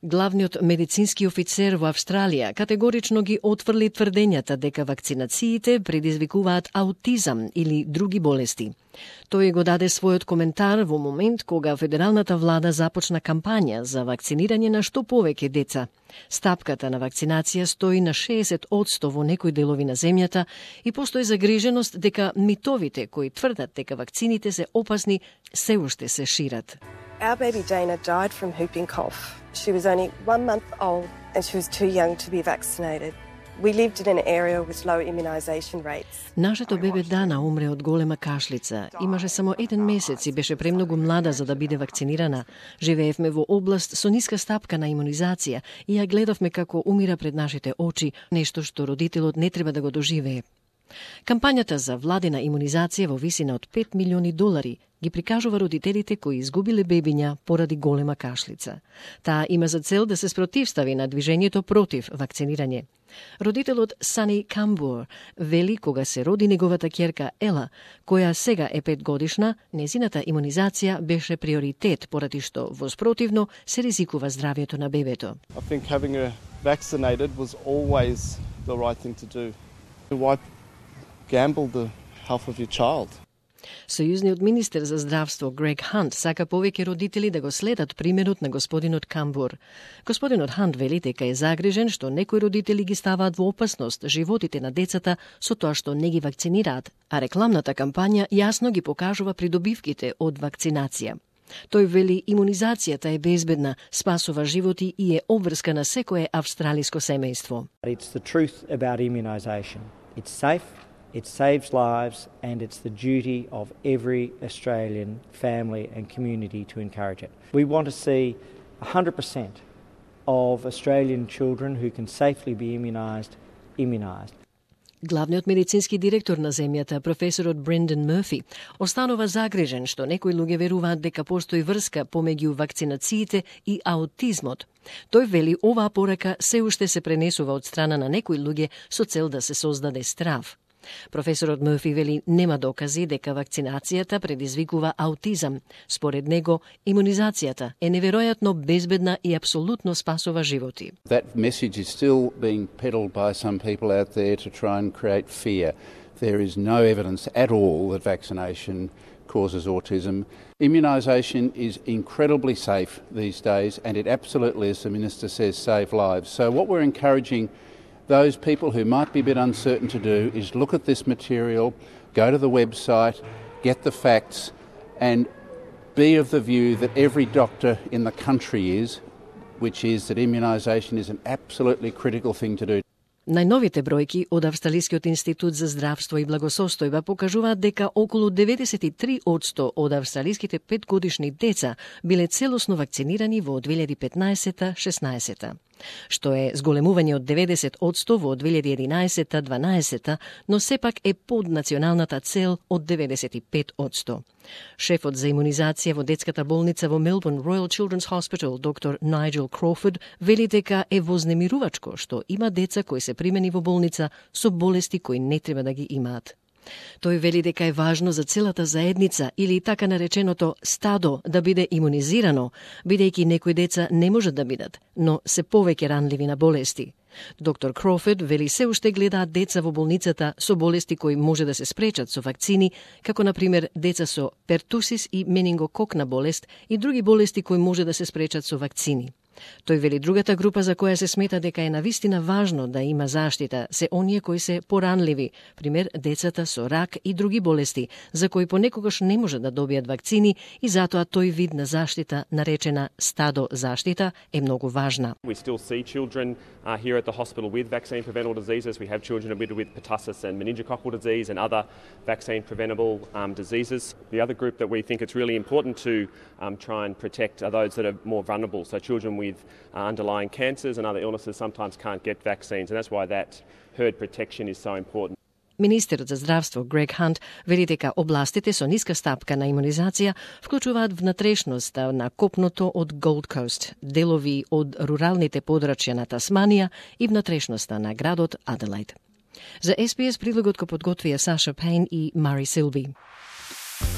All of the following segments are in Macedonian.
Главниот медицински офицер во Австралија категорично ги отфрли тврдењата дека вакцинациите предизвикуваат аутизам или други болести. Тој го даде својот коментар во момент кога федералната влада започна кампања за вакцинирање на што повеќе деца. Стапката на вакцинација стои на 60% во некои делови на земјата и постои загриженост дека митовите кои тврдат дека вакцините се опасни се уште се шират. Our baby Dana died from whooping cough. She was only 1 month old and she was too young to be vaccinated. We lived in an area with low immunization rates. Нашето бебе Дана умре од голема кашлица. Имаше само 1 месец и беше премногу млада за да биде вакцинирана. Живеевме во област со ниска стапка на имунизација и ја гледавме како умира пред нашите очи, нешто што родителот не треба да го доживее. Кампањата за владина имунизација во висина од $5 милиони ги прикажува родителите кои изгубиле бебиња поради голема кашлица. Таа има за цел да се спротивстави на движењето против вакцинирање. Родителот Сани Камбур вели кога се роди неговата ќерка Ела, која сега е 5 годишна, незината имунизација беше приоритет поради што воспротивно се ризикува здравјето на бебето. I think having her vaccinated was always the right thing to do. Why gamble the health of your child? Сојузниот министер за здравство Грег Хант сака повеќе родители да го следат примерот на господинот Камбур. Господинот Хант вели дека е загрижен што некои родители ги ставаат во опасност животите на децата со тоа што не ги вакцинираат, а рекламната кампања јасно ги покажува придобивките од вакцинација. Тој вели имунизацијата е безбедна, спасува животи и е обврска на секое австралиско семејство. It's the truth about immunisation. It's safe. It saves lives and it's the duty of every Australian family and community to encourage it. We want to see 100% of Australian children who can safely be immunised. Главниот медицински директор на земјата, професорот Брендан Мърфи, останува загрижен што некои луѓе веруваат дека постои врска помеѓу вакцинациите и аутизмот. Тој вели оваа порака се уште се пренесува од страна на некои луѓе со цел да се создаде страв. Професорот Мърфи вели нема докази дека вакцинацијата предизвикува аутизам. Според него, имунизацијата е неверојатно безбедна и апсолутно спасува животи. That message is still being peddled by some people out there to try and create fear. There is no evidence at all that vaccination causes autism. Immunisation is incredibly safe these days and it absolutely, as the Minister says, saves lives. So what we're encouraging those people who might be a bit uncertain to do is look at this material, go to the website, get the facts, and be of the view that every doctor in the country is, which is that immunisation is an absolutely critical thing to do. Најновите бројки од Австралискиот институт за здравство и благосостојба покажуваат дека околу 93% од австралиските 5-годишни деца биле целосно вакцинирани во 2015-16, што е зголемување од 90% во 2011-12, но сепак е под националната цел од 95%. Шефот за имунизација во детската болница во Мелбурн Royal Children's Hospital, доктор Найджел Кроуфорд, вели дека е вознемирувачко што има деца кои се примени во болница со болести кои не треба да ги имаат. Тој вели дека е важно за целата заедница или така нареченото стадо да биде имунизирано, бидејќи некои деца не можат да бидат, но се повеќе ранливи на болести. Доктор Кроуфорд вели се уште гледаат деца во болницата со болести кои може да се спречат со вакцини, како например деца со пертусис и менингококна болест и други болести кои може да се спречат со вакцини. Тој вели другата група за која се смета дека е навистина важно да има заштита се оние кои се поранливи, пример децата со рак и други болести, за кои понекогаш не може да добијат вакцини и затоа тој вид на заштита, наречена стадо заштита, е многу важна. We still see children here at the hospital with vaccine preventable diseases. We have children admitted with pertussis and meningococcal disease and other vaccine preventable diseases. The other group that we think it's really important to try and protect are those that are more vulnerable. So children with underlying cancers and other illnesses sometimes can't get vaccines, and that's why that herd protection is so important. Министерот за здравство Грег Хант вели дека областите со ниска стапка на имунизација вклучуваат внатрешноста на копното од Gold Coast, делови од руралните подрачја на Тасманија и внатрешноста на градот Аделаид. За SBS прилогот го подготвија Саша Пейн и Мари Силби.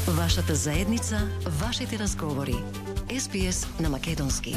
Вашата заедница, вашите разговори. SBS на македонски.